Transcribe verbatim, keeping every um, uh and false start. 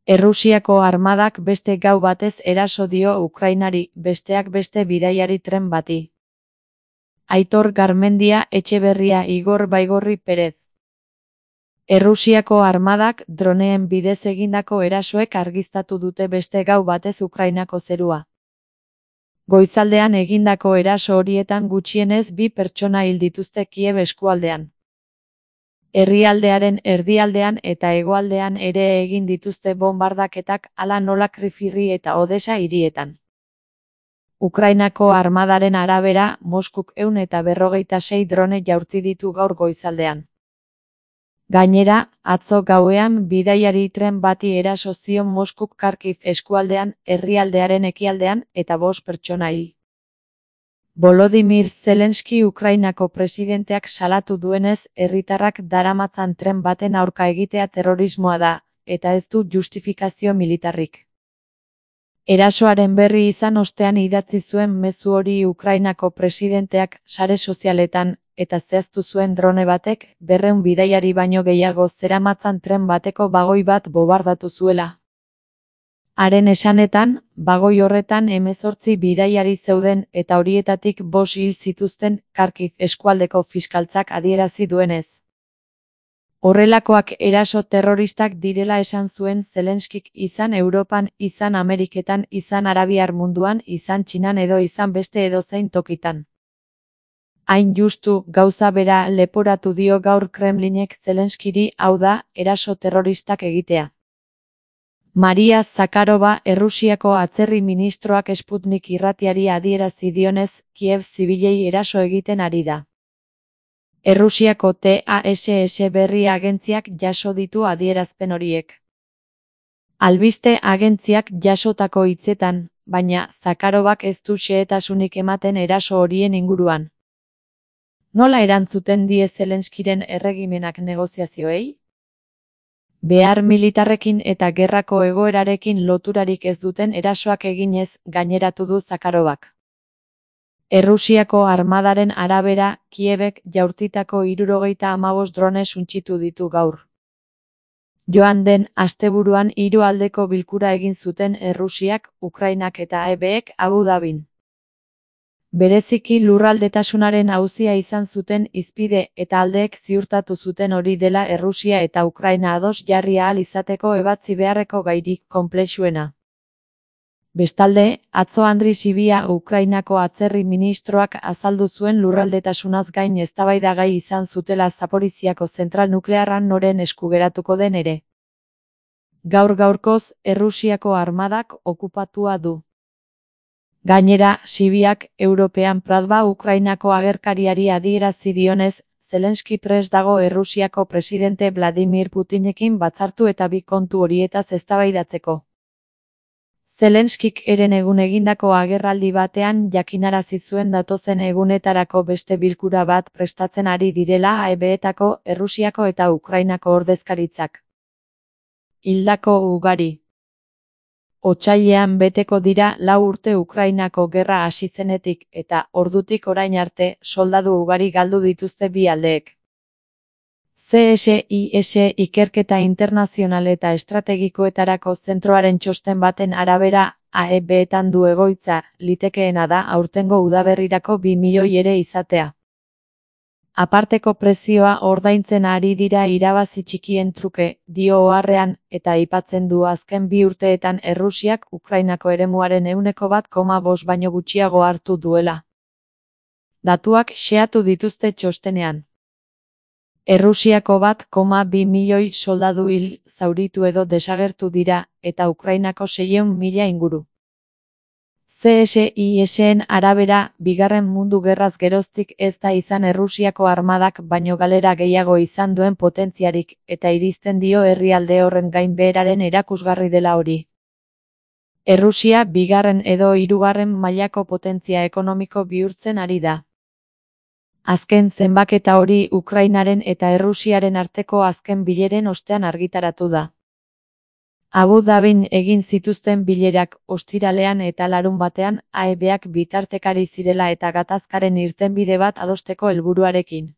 Errusiako armadak beste gau batez eraso dio Ukrainari, besteak beste bidaiari tren bati. Aitor Garmendia Etxeberria Igor Baigorri Perez. Errusiako armadak droneen bidez egindako erasoek argiztatu dute beste gau batez Ukrainako zerua. Goizaldean egindako eraso horietan gutxienez bi pertsona hil dituzte Kiev eskualdean. Herrialdearen erdialdean eta hegoaldean ere egin dituzte bonbardaketak, hala nola Krifirri eta Odesa hirietan. Ukrainako armadaren arabera, Moskuk ehun eta berrogeita sei drone jaurti ditu gaur goizaldean. Gainera, atzo gauean bidaiari tren bati eraso zion Moskuk Kharkiv eskualdean, herrialdearen ekialdean, eta bost pertsona hil. Volodymyr Zelensky Ukrainako presidenteak salatu duenez, herritarrak daramatzan tren baten aurka egitea terrorismoa da, eta ez du justifikazio militarrik. Erasoaren berri izan ostean idatzi zuen mezu hori Ukrainako presidenteak sare sozialetan, eta zehaztu zuen drone batek berrehun bidaiari baino gehiago zeramatzan tren bateko bagoi bat bobardatu zuela. Haren esanetan, bagoi horretan hemezortzi bidaiari zeuden eta horietatik bost hil zituzten Kharkiv eskualdeko fiskaltzak adierazi duenez. Horrelakoak eraso terroristak direla esan zuen Zelenskik, izan Europan, izan Ameriketan, izan Arabiar munduan, izan Txinan edo izan beste edozein tokitan. Hain justu, gauza bera leporatu dio gaur Kremlinek Zelenskiri, hau da, eraso terroristak egitea. Maria Zakharova Errusiako atzerri ministroak Sputnik irratiari adierazi dionez, Kiev zibilei eraso egiten ari da. Errusiako T A S S berri agentziak jaso ditu adierazpen horiek. Albiste agentziak jasotako hitzetan, baina Zakharovak ez du xehetasunik ematen eraso horien inguruan. Nola erantzuten die Zelenskiren erregimenak negoziazioei? Behar militarrekin eta gerrako egoerarekin loturarik ez duten erasoak eginez, gaineratu du Zakharovak. Errusiako armadaren arabera, Kievek jaurtitako hirurogeita hamabost drone suntsitu ditu gaur. Joan den asteburuan hiru aldeko bilkura egin zuten Errusiak, Ukrainak eta E Bek Abu Dhabin. Bereziki lurraldetasunaren auzia izan zuten hizpide eta aldeek ziurtatu zuten hori dela Errusia eta Ukraina ados jarri ahal izateko ebatzi beharreko gairik konplexuena. Bestalde, atzo Andri Sibia Ukrainako atzerri ministroak azaldu zuen lurraldetasunaz gain eztabaidagai izan zutela Zaporiziako zentral nuklearran noren esku geratuko den ere. Gaur gaurkoz, Errusiako armadak okupatua du. Gainera, Sibiak European Pradba Ukrainako agerkariari adierazi dionez, Zelensky prest dago Errusiako presidente Vladimir Putinekin batzartu eta bi kontu horietaz eztabaidatzeko. Zelenskik eren egun egindako agerraldi batean jakinarazi zuen datozen egunetarako beste bilkura bat prestatzen ari direla E Betako, Errusiako eta Ukrainako ordezkaritzak. Hildako ugari. Otsailean beteko dira lau urte Ukrainako gerra hasi zenetik eta ordutik orain arte soldadu ugari galdu dituzte bi aldeek. C S I S Ikerketa Internazional eta Estrategikoetarako zentroaren txosten baten arabera, A E Betan du egoitza, litekeena da aurtengo udaberrirako bi milioi ere izatea. Aparteko prezioa ordaintzen ari dira irabazi txikien truke, dio oharrean, eta aipatzen du azken bi urteetan Errusiak Ukrainako eremuaren ehuneko bat koma bost baino gutxiago hartu duela. Datuak xehatu dituzte txostenean. Errusiako bat koma bi milioi soldadu hil, zauritu edo desagertu dira, eta Ukrainako seiehun mila inguru. C S I S-en arabera, bigarren mundu gerraz geroztik ez da izan Errusiako armadak baino galera gehiago izan duen potentziarik, eta iristen dio herrialde horren gainbeheraren erakusgarri dela hori. Errusia bigarren edo hirugarren mailako potentzia ekonomiko bihurtzen ari da. Azken zenbaketa hori Ukrainaren eta Errusiaren arteko azken bileren ostean argitaratu da. Abu Dhabin egin zituzten bilerak ostiralean eta larunbatean A E Beak bitartekari zirela eta gatazkaren irtenbide bat adosteko helburuarekin.